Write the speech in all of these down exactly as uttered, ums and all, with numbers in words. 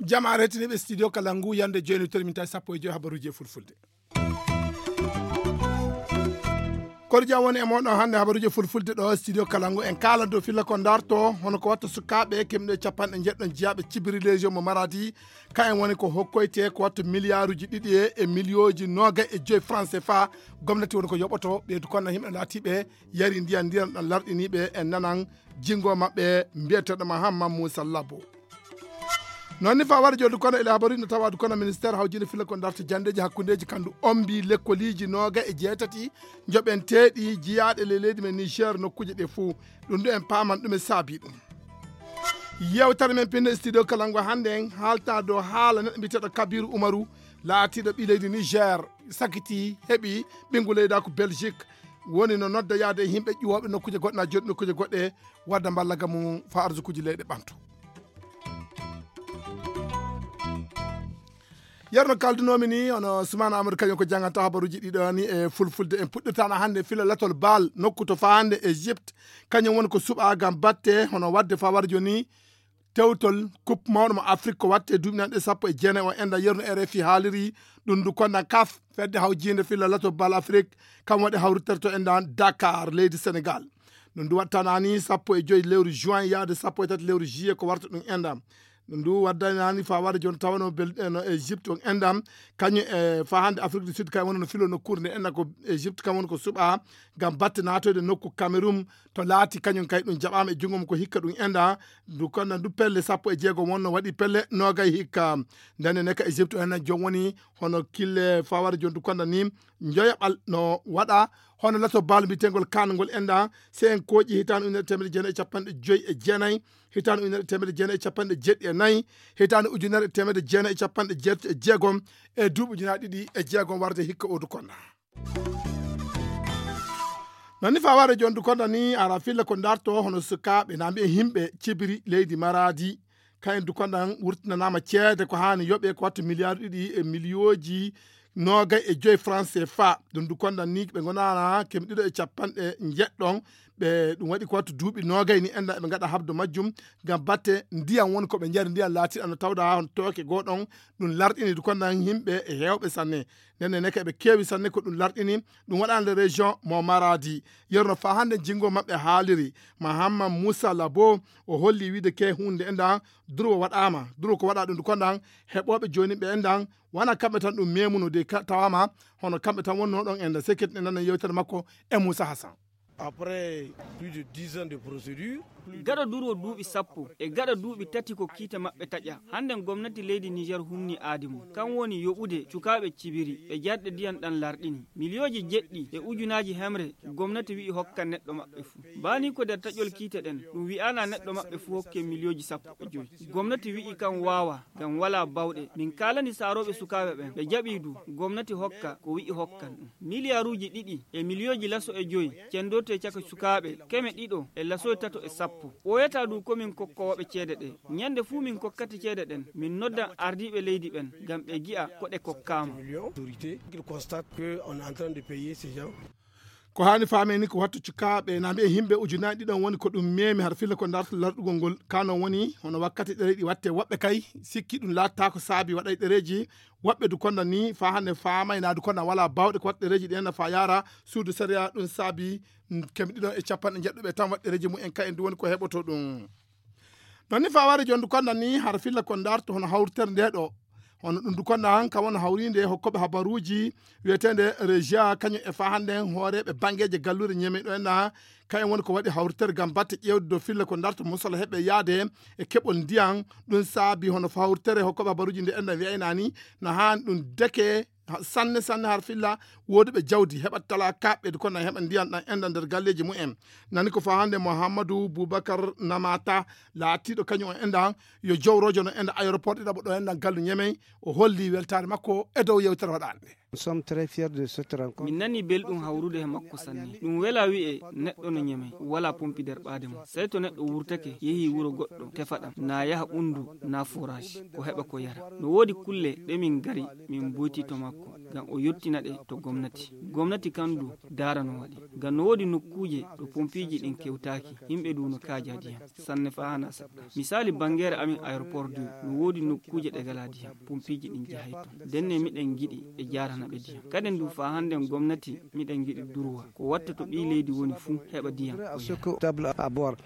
Jamaare hettiniiɓe studio kala ngu yande jooni tori min tawi sappo e joyi habaruuji e fulfulde. Koɗo jam woni e moɗon hannde habaruuji fulfulde ɗo studio kala ngu en kaalan dow filla ko darto hono ko watta sukaaɓe kemɗe capanɗe njeɗɗon jiyaaɓe cibiri legion mo maradi. Ka en woni ko hokkoyte ko watta miliyaaruuji ɗiɗi e e miliyooji noogay e joyi franc c fa. Gomnati woni ko yoɓoto ɓeydu konna yimɓe laatiiɓe yari ndiyan ndiyan ɗan larɗiniiɓe en nanan jingo maɓɓe mbiyeteɗo mahamma moussa labo. Noon ni fa wara joddu kono ele habaruji no tawa du kono ministére hawjinde filla ko darta jandeji hakkundeji kandu ombi lekkoliiji nooga e jeetati joɓenteeɗi jiyaaɗe le leydi men niger nokkuuje ɗe fuu. Ɗum ɗo en paaman ɗum e saabi ɗum. Yewtere men pinno studio kalango hannde en haalta dow haala neɗɗo mbiyeteɗo kabiru umaru laatiiɗo ɓi leydi niger sakiti heɓi ɓingu leyda ko belgique. Woni no nodda yaade e yimɓe ƴuwooɓe nokkuuje goɗɗe na jooɗi nokkuuje goɗɗe wadda mballagam mum fa arsukuuji leyɗe ɓanto. Yerno kaldunoomi ni hono sumaana amadou kañum ko janngata habaruuji ɗiɗo ni e fulfulde en puɗɗirtano hannde fila latol baal nokku to fa hannde égypte. Kañum woni ko suɓa gam batte hono wadde fa wara jooni tewtol coupe mawɗo mo afrique ko watte duuɓi nanɗe sappo e jeenayi o enda yerno rfi haaliri. Ɗum ndu konnan kaf fedde hawjinde filla lato bal afrique kam waɗi hawritterto endan dakar leydi sénégal. Ɗum ndu wattanani sappo e joyi lewru juin yaade sappo e tati lewru juillet ko warta ɗum endan. Ɗum ndu waddanani fa waɗa joni tawano bel no égypte on endan kañum e fa hande afrique du sud kay woni no filo nokkuure nde enna ko égypte kam woni ko suɓa ngam batte natoyde nokku cameroun. To laati kañum kay ɗum jaɓaama e junngo mum ko hikka ɗum enda ndu konna ndu pelle sappo e jeego wonno waɗi pelle noogay hikka. Ndenne ne ka égypte o hena joom woni hono kille fawara joni ndu konna ni njoyaɓal no waɗa hono lato baalo mbiyetengol kano ngol enda. Si en kooƴi hitande ujunere temedde jeenayi e capanɗe joyi e jeenayi hitande ujunere temedde jeenayi e capanɗe jeɗɗi e nayi hitande ujunere temedde jeenayi e capanɗe jeetati e jeegom e duuɓi ujunaaji ɗiɗi e jeegom warde hikka odu konna. Nani fa ware jondu konda ni ara filla ko darto hono sukaaɓe na mbiye himɓe cibiri leydi maradi. Kayen du kondan wurtinanama ceede ko hani yoɓe ko wattu miliyaaru ɗiɗi e miliyooji noogay e joyi franc cfa. Ɗum du kondan ni ɓe gonana kemi ɗiɗo e capanɗe njeɗɗon ɓe ɗum waɗi ko wattu duuɓi noogay ni enda ɓe gaɗa habdo majjum. Ngam batte ndiyam woni ko ɓe jari ndiyam laatiɗo no tawda on tooke goɗon. Ɗum larɗini du kondan himɓe e hewɓe sanne. Nenne neke ɓe keewi sanne ko ɗum larɗini. Ɗum waɗande région mo maradi yerno fa hande jingo maɓɓe haaliri. Mahamma moussa labo o holli wiide ke hunde endan durwo waɗama durwo ko waɗa ɗum du kondan. Heɓoɓe joni ɓe endan wona kamɓe tan ɗum memuno de tawama hono kamɓe tan wonno ɗon enda sekket ne nanan yewtere makko e moussa hassan. Après plus de dix ans de procédure. Gaɗa durwo duuɓi sappo e gaɗa duuɓi tati ko kiite maɓɓe taƴa hannden gomnati leydi niger humni aadi mum kam woni yoɓude cukaaɓe cibiri ɓe jarɗe ndiyan ɗan larɗini miliyooji jeɗɗi e ujunaaji hemre. Gomnati wi'i hokka neɗɗo maɓɓe fuu baani ko nder taƴol kiite ɗen ɗum wi'aana neɗɗo maɓɓe fuu hokke miliyooji sappo e joyi. Gomnati wi'i kam waawa ngam walaa bawɗe min kaalani saarooɓe sukaaɓe ɓen ɓe jaɓii du gomnati hokka ko wi'i hokkan ɗum. Miliyaaruuji ɗiɗi e miliyooji laso e joyi cendorte caka sukaaɓe keme ɗiɗo e lasoy tato e sappo. Ɓooyataa du ko min kokkooɓe ceede ɗe. Ñande fuu min kokkata ceede ɗen min noddan ardiiɓe leydi ɓen ngam ɓe gi'a ko ɗe kokkaama. Ko haani faamee ni ko wattu cukaaɓe na mbiye himɓe ujunaaji ɗiɗon woni ko ɗum meemi har filla ko darta larɗugol ngol. Ka non woni hono wakkati ɗereji watte woɓɓe kay sikki ɗum laattaako saabi waɗay ɗereji. Woɓɓe du konda ni fa hande faamay na du konda wala bawɗe ko watta ɗereji ɗi enna fa yaara suudu sariya ɗum saabi kemi ɗiɗon e capanɗe jeɗɗuɓe tan watta ɗereji mum en ka en du woni ko heɓoto ɗum. Non ni fa wari jondu konda ni har filla ko darto hono hawritere nde ɗo. Hono ɗum du konda han kam wona hawrinde hokkoɓe habaruji wiyetende régia kañum e fa hande hooreɓe bangeje gallure ñeme ɗo enna. Kayen woni ko waɗi hawritere gam batte ƴewde dow filla ko darto musala heɓe yaade e keɓol ndiyan. Ɗum saabi hono fa hawritere hokkoɓe habaruji nde enna wiyaynani na han ɗum deke sanne sanne har filla. Woduɓe jawdi heɓat tala kaɓɓe du konda heɓa ndiyan ɗan enda nder galleji mumen. Nani ko fa hande mouhammadou boubacar namata laatiɗo kañum o endan yo jowrojo no enda aéroport ɗiɗaɓo ɗo endan gallu ñemey. O holli weltare makko e dow yewtere waɗande. Min nani belɗum hawrude he makko sanne. Ɗum wela wi'e neɗɗo no ñemey wala pompi nder ɓaade mum sey to neɗɗo wurtake yehi wuro goɗɗo tefa ɗam na yaha ɓundu na forage ko heɓa ko yara. No woodi kulle ɗe min ngari min mboyti to makko. ngam o yottina ɗe to gomnati. Gomnati kan du daara no waɗi. Ngam no woodi nokkuuje ɗo pompiiji ɗin kewtaaki, yimɓe du no kaaja diyam sanne faa hanaa seɗɗa. Misaali, banngeere amin aéroport du, no woodi nokkuuje ɗe ngalaa diyam, pompiiji ɗin jahay ton. Ndenne miɗen ngiɗi ɓe jaarana ɓe diyam. Kaden du faa hannden gomnati miɗen ngiɗi durwa. Ko watta to ɓii leydi woni fuu heɓa diyam o yara.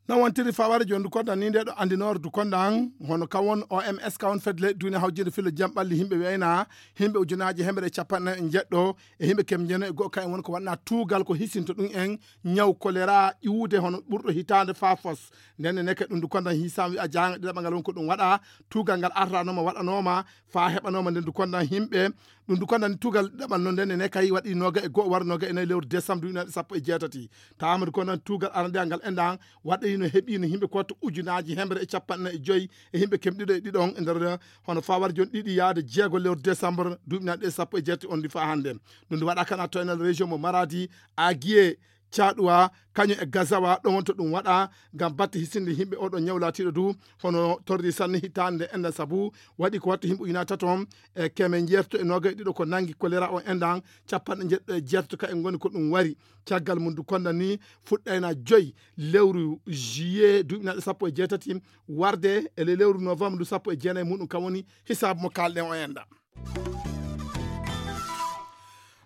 Non wontiri faware jon dukonda ni nde ɗo andinoore dukonda an hono kawon O M S kawon fedle duniya hawjinde filo jam ɓalli himɓe weyna himɓe ujunaji hemre e capanɗe e jeɗɗo e himɓe kem jeno e go'o kayen woni ko waɗna tuugal ko hisinto ɗum en ñaw kolera ƴuwude hono ɓurɗo hitande fa fos. Ndenne neke ɗum dukonda hisam wi'a jahanga ɗiɗaɓa ngal woni ko ɗum waɗa tuugal ngal arranoma waɗanoma fa heɓanoma nden dukonda himɓe ɗum dukonda ni tuugal ɗiɗaɓal non ndenne ne kay waɗi noga e go'o wara noga e nayi lewru décembre duuɓi nayi sappo e jeetati. Tawama dukonda ni tuugal arandiya ngal endan waɗɗayino heɓino yimɓe ko wattu ujunaji hemre e capanɗe nayi e joyi e yimɓe kemɗiɗo e ɗiɗon e nder hono fawar jon ɗiɗi yaade jeego lewru décembre duuɓi nayi ɗe sappo e jeetati on ndi fa hande. Ɗum ndi waɗa kana toynal région mo maradi agiye caɗuwa kañum e gazawa ɗon wonto ɗum waɗa ngam batte hisinde yimɓe oɗo ñaw latiɗo du hono torri sanne hitande nde enɗan sabu waɗi ko wattu yimɓe ujunaaji tato e keme jeetato e noga e ɗiɗo ko nangi kolera o enɗan capanɗe jeeɗiɗo e jeetato ka en ngoni ko ɗum wari. Caggal mum du konda ni fuɗɗayna joyi lewru juillet duuɓi naɗe sappo e jeetati warde e ley lewru novembre du sappo e jeenayi muɗum kam woni hisaabu mo kalɗen o enɗa.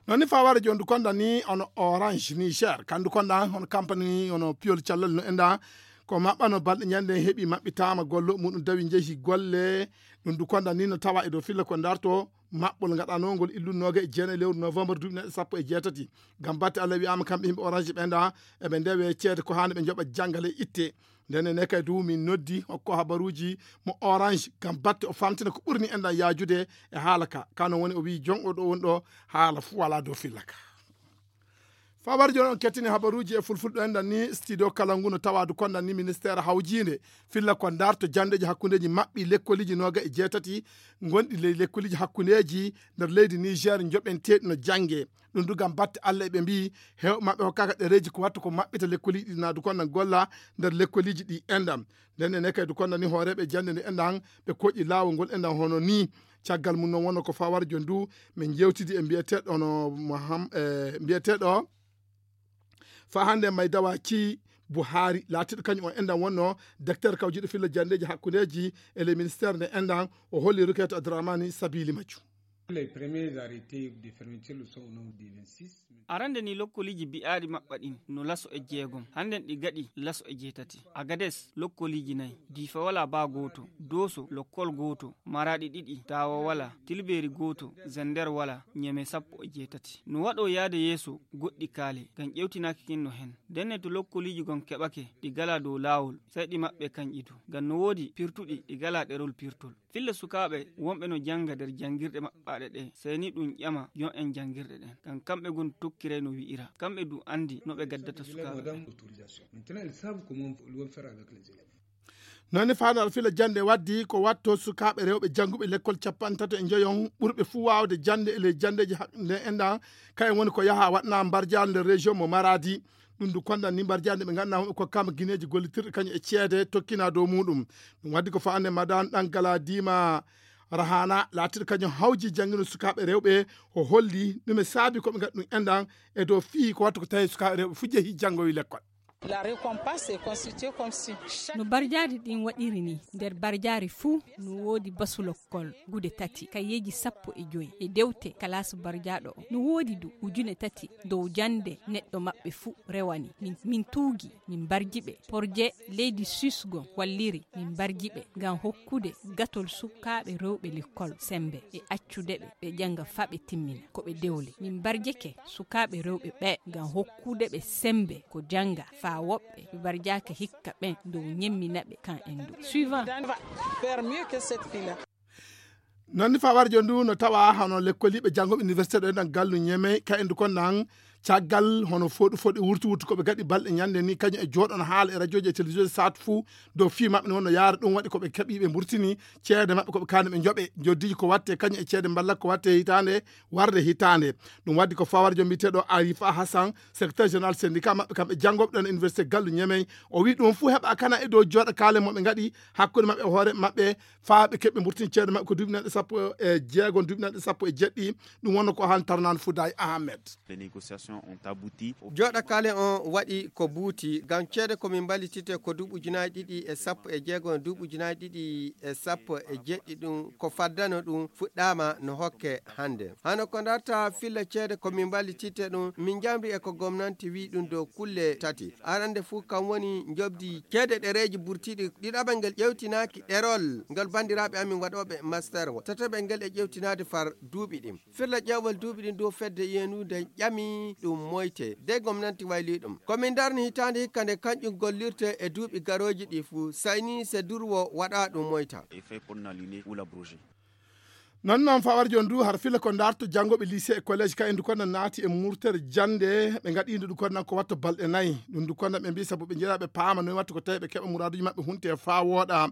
Non ni faware jon du konda ni ono orange niger kan du konda hono campagne ni ono piyol callal no enɗa ko maɓɓano balɗe ñande heɓi maɓɓitama gollo muɗum dawi jeehi golle. Ɗum du konda ni no tawa e dow filla ko darto maɓɓol gaɗanongol illu noga e jeenayi lewru novembre duuɓi naɗe sappo e jeetati. Ngam batte allah wiyama kamɓe yimɓe orange ɓe nda eɓe ndewe ceede ko hande ɓe joɓa jangale itte. Ndenne ne kay du min noddi hokko habaruji mo orange ngam batte o famtina ko ɓurni enɗan yajude e haala ka kano woni o wi jon o ɗo woni ɗo haala fu wala dow filla ka. Fawar jon on kettini habaruji e fulfulɗo enɗan ni studio kala ngu no tawadu konɗan ni ministére hawjinde filla ko darto jandeji hakkundeji maɓɓi lekkoliji noga e jeetati gonɗi ley lekkoliji hakkundeji nder leydi niger joɓenteɗi no jange. Ɗum du ngam batte allah eɓe mbiyi hewɓe maɓɓe hokkaka ɗereji ko wattu ko maɓɓita lekkoliji ɗi na du konɗan golla nder lekkoliji ɗi enɗan. Nden ene kay du konɗan ni hooreɓe jande nde enɗan ɓe koƴi laawol ngol enɗan hono ni. Caggal mum noon wonno ko fawar jon du min jewtidi e mbiyeteɗo hono moham e mbiyeteɗo fa hande may dawa ci buhari laatiɗo kañum o enɗan wonno docteur kawjiɗo filla jandeji hakkundeji e le ministére nde enɗan o holli rukete adramani sabili majju. Les premiers arrêtés de fermeture sont au nombre de vingt-six. Arande ni lokkoliiji bi'aaɗi maɓɓa ɗin no laso e jeegom hannden ɗi gaɗi laso e jeetati. Agades lokkoliiji nayi diifa wala baa gooto dooso lokkol gooto maraaɗi ɗiɗi taawa wala tilbeeri gooto zender wala ñeme sappo e jeetati. No waɗo yaade yeeso goɗɗi kaale ngam ƴewtinaaki kin no hen ndenne to lokkoliiji gon keɓake ɗi gala dow laawol. Sey ɗi maɓɓe kanƴi du ngam no woodi pirtuɗi ɗi gala ɗerol pirtol. Filla sukaaɓe wonɓe no jannga nder janngirɗe maɓɓaaɗe ɗe sey ni ɗum ƴama yon en janngirɗe ɗen ngam kamɓe gon tokkiray no wi'ira kamɓe du anndi no ɓe gaddata sukaaɓe ɓen. Maintenant ils savent comment ils vont faire avec les élèves. Noon ni faandaal fila jannde waddi ko watto sukaaɓe rewɓe jannguɓe lekkol capanɗe tato e njoyon ɓurɓe fuu waawde jannde e ley janndeeji hakkunde enɗan kayen woni ko yaha waɗna mbarjaal nder région mo maradi. Ɗum du kondan ni mbarjaal nde ɓe ngannduɗaa hoɓe kokkama gineeji gollitirɗi kañum e ceede tokkina dow muɗum. Ɗum waddi ko faande madan ɗan gala diima rahana laatiɗo kañum hawji janngino sukaaɓe rewɓe o holli ɗum e saabi ko ɓe ngaɗi ɗum enɗan e dow fii ko wattu ko tawi sukaaɓe rewɓe fuu jehi janngoyi lekkol. La récompense est constituée comme si chaque no barjaari ɗin waɗiri ni nder barjaari fuu no woodi basu lokkol gude tati kayeeji sappo e joyi e dewte kalaas barjaaɗo o no woodi du ujune tati dow jannde neɗɗo maɓɓe fuu rewani min tuugi min mbarji ɓe porje leydi suisse go walliri min mbarji ɓe ngam hokkude gatol sukaaɓe rewɓe lekkol semmbe e accude ɓe ɓe jannga faa ɓe timmina ko ɓe dewle min mbarjike sukaaɓe rewɓe ɓee ngam hokkude ɓe semmbe ko jannga faa woɓɓe ɓe mbarjaaka hikka ɓen dow ñemmina ɓe kan en du suivant. Vers mieux que cette fille-là. Noon ni fawarjo ndu no tawa hono lekkoliiɓe janngo université ɗo enɗan gallu ñeme ka endu kon nan caggal hono foɗu foɗi wurtu wurtu ko ɓe gaɗi balɗe ñande ni kañum e jooɗon haala e radioji e télévision saatu fuu dow fii maɓɓe ne wonno yaara ɗum waɗi ko ɓe keɓi ɓe mburtini ceede maɓɓe ko ɓe kaani ɓe njoɓe joddiiji ko watte kañum e ceede mballa ko watte hitaande warde hitaande. Ɗum waddi ko fawarjo mbiyeteeɗo arifa hassan secrétaire général syndicat maɓɓe kamɓe janngoɓe ɗon e université gallu ñemey o wi ɗum fuu heɓa kana e dow jooɗa kaale mo ɓe ngaɗi hakkunde maɓɓe e hoore maɓɓe faa ɓe keɓɓe mburtin ceede maɓɓe ko duuɓi nanɗe Sappo e jeego duuɓi nanɗe sappo e jeɗɗi. Ɗum wonno ko han tarnan fuday ahmed. Les négociations ont abouti. Jooɗa kale on waɗi ko buuti ngam ceede ko min mballitite ko duuɓi ujunaaji ɗiɗi e sappo e jeego, duuɓi ujunaaji ɗiɗi e sappo e jeɗɗi ɗum ko faddano ɗum fuɗɗaama no hokke hannde. Hano ko darta filla ceede ko min mballitite ɗum, min njamri e ko gomnanti wi ɗum dow kulle tati. Arande fuu kam woni njobdi ceede ɗereeji burtiiɗi. Ɗiɗaɓel ngel ƴewtinaaki ɗerol ngel banndiraaɓe amin waɗooɓe master o. Tataɓel ngel e ƴewtinaade far duuɓi ɗin. Firla ƴeewal duuɓi ɗin dow fedde yenude ƴami ɗum moyte. De gomnanti wayli ɗum. Ko min darni hitaande hikka nde kanƴum gollirte e duuɓi garooji ɗi fuu. Sayni se durwo waɗa ɗum moyta. Et fait pour n'aligner ou l'abroger. Non non fawar jon du har fila ko darto janngoɓe lycée e collège ka endu konna naati e murtere jannde ɓe ngaɗi ndu ɗum konna ko watto balɗe nayi. Ɗum ndu konna ɓe mbi sabu ɓe njeeɗa ɓe paama noy watto ko tawi ɓe keɓa muraduji maɓɓe hunte fa wooɗa.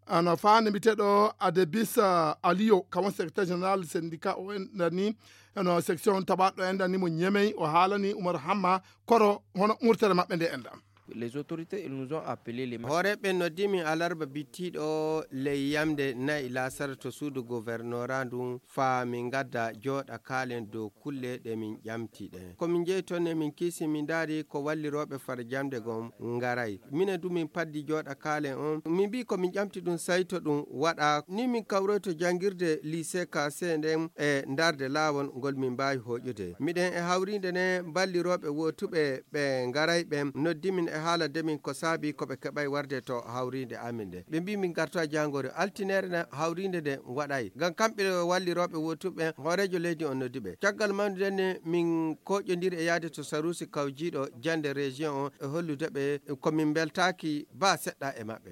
Ano fa nde mbiteɗo adebis aliyo kawon secrétaire général syndicat o enɗani, ano section taɓaɗo enɗani mo ñemey o haalani oumar hamma koro hono murtere maɓɓe nde enɗam. Les autorités, ils nous ont appelé les hooreɓe noddimi alarba bittiɗo ley yamde nayi lasara to suudu gouvernorat ndun faa min ngadda jooɗa kaalen dow kulle ɗe min ƴamti ɗen. Ko min njehi ton e min kiisi min ndaari ko wallirooɓe far jamde gon ngaray. Minen du min paddi jooɗa kaalen on. Min mbii ko min ƴamti ɗum sayto ɗum waɗa. Ni min kawroyto janngirde lycée Kassé nden e ndarde laawol ngol min mbaawi hooƴude. Miɗen e hawriinde nden ballirooɓe wootuɓe ɓe ngaray ɓen noddi min e haala de min ko saabi ko ɓe keɓay warde to hawriinde amin nden. Ɓe mbii min ngartoya jaangori. Altineere nden hawriinde nden waɗay. Ngam kamɓe wallirooɓe wootuɓe ɓen hooreejo leydi on noddi ɓe. Caggal mawnude nden min kooƴondiri e yahde to saruusi kawjiiɗo jannde région on e hollude ɓe ko min mbeltaaki baa seɗɗa e maɓɓe.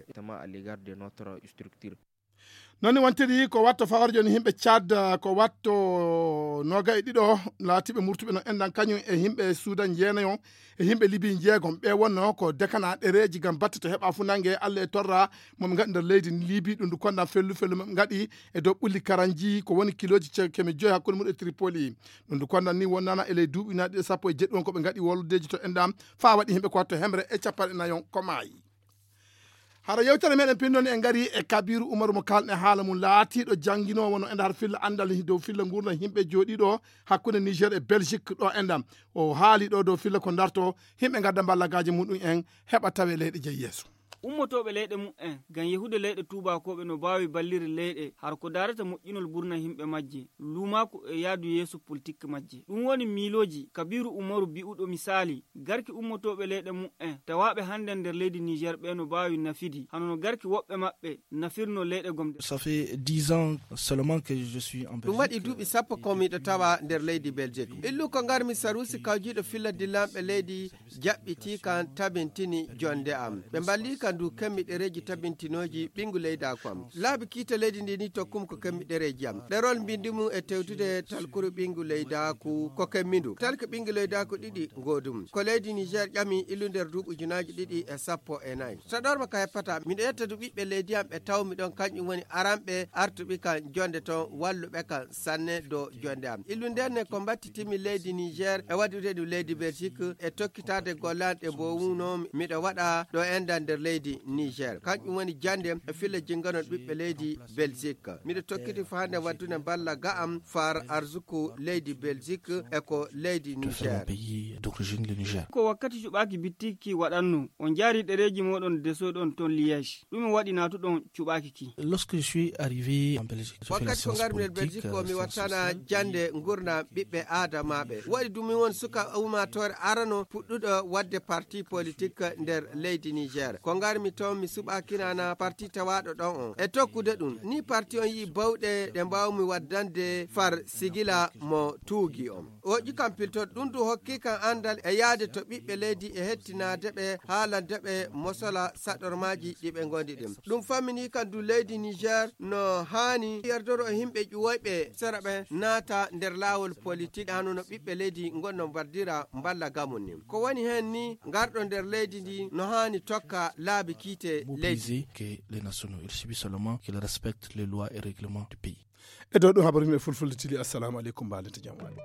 Noon ne wontiri ko watto fawarjo ni yimɓe Tchad ko watto noga e ɗiɗo laatiiɓe murtuɓe no enɗan kañum e yimɓe Suudan jeenayo e yimɓe Libi jeegom ɓe wonno ko dekana ɗereeji ngam batte to heɓa fu nange Allah e torra mo ɓe ngaɗi nder leydi Libi ɗum ndu kondan fellu fellu mo ɓe ngaɗi e dow ɓulli karanji ko woni kilooji ce- keme joyi hakkunde mum e Tripoli. Ɗum ndu kondan ni wonnana e ley duuɓi na ɗiɗo sappo e jeɗɗi won ko ɓe ngaɗi woldeji to enɗam faa waɗi yimɓe ko watto hemre e capanɗe nayon ko maayi. Hara yewtere meɗen pinndoni en ngari e Kabiru Umaru mo kalɗe haala mum laatiiɗo jannginoowo no e ndar filla anndal dow filla ngurndan yimɓe jooɗiiɗo hakkunde Niger e Belgique ɗo enɗam. O haali ɗo dow filla ko darto yimɓe ngadda mballagaaji muɗum en heɓa tawe leyɗe jeyi yeeso. Ummotooɓe leyɗe muɓɓen ngam yehude leyɗe tuubaakooɓe no mbaawi ballirde leyɗe har ko daarata moƴƴinol burna yimɓe majje, luumaaku e yaadu yeeso politik majje. Ɗum woni miilooji Kabiiru Umaru bi'uɗo misaali, garki ummotooɓe leyɗe muɓɓen tawaaɓe hannden nder leydi Niijeer ɓee no mbaawi nafidi, hano no garki woɓɓe maɓɓe nafirnoo leyɗe gomɗe. Ça fait dix ans seulement que je suis en Belgique. Ɗum waɗi duuɓi sappo ko miɗo tawa nder leydi Belgique. Illu ko ngarmi saruusi kawjiiɗo filla dillanɓe leydi jaɓɓitii kan tabintini jonnde am. Ɓe mballii kan du kemmi ɗereeji tabintinooji ɓinngu leydaaku am. Laabi kiite leydi ndi ni tokkum ko kemmi ɗereeji am. Ɗerol mbinndi mum e tewtude talkuru ɓinngu leydaaku ko kemmi ndu. Talki ɓinngu leydaaku ɗiɗi ngoodum. Ko leydi Niger ƴami illu nder duuɓi ujunaaji ɗiɗi e sappo e nayi. Saɗorma ka heppata, miɗo yetta du ɓiɓɓe leydi am ɓe tawmi ɗon, kañum woni aranɓe artuɓi kan jonnde ton, walluɓe kan sanne dow jonnde am. Illu nden ne ko mbattitimi leydi Niger e waɗude ɗum leydi Belgique e tokkitaade gollanɗe mbowuno miɗo waɗa ɗo enɗan nder leydi Niger. Kañum woni jannde e filla jinnganol ɓiɓɓe leydi Belgique. Miɗo tokkiti fo hannde waɗdude mballa ga am far arsuku leydi Belgique e ko leydi Niger. Pays d'origine, le Niger. Ko wakkati cuɓaaki bittiiki waɗanno, on njaari ɗereeji mooɗon desoɗon ton Liège. Ɗume waɗi naatuɗon cuɓaaki ki? Lorsque je suis arrivé en Belgique, je fais la Wakkati ko science ngarmi nder politique, Belgique ko euh, mi science wattana sociale. Jannde ngurndan ɓiɓɓe aadamaaɓe. Waɗi ɗum mi won suka ummaatoore arano puɗɗuɗo waɗde parti politique nder leydi Niger. Ko ngarmi toon mi suɓaaki nana parti tawaaɗo ɗon on. E tokkude ɗum, ni parti on yi'i bawɗe ɗe mbaawmi waddande far sigila mo tuugi on. Oƴi kam piltoto ɗum du hokki kam anndal e yahde to ɓiɓɓe leydi e hettinaade ɓe haalande ɓe mosola saɗormaaji ɗi ɓe ngondi ɗin. Ɗum fammini kam du leydi Niger no haani yerdoro e yimɓe ƴuwoyɓe sera ɓe naata nder laawol politik hano no ɓiɓɓe leydi ngonno mbaddira mballa gamum ni. Ko woni heen ni ngarɗo nder leydi ndi no haani tokka laabi kiite leydi. Mobiliser que les nationaux, il suffit seulement qu'ils respectent les lois et règlements du pays. E dow ɗum habaru men fulfulde tili, assalamu aleykum, mbaalete jam waali.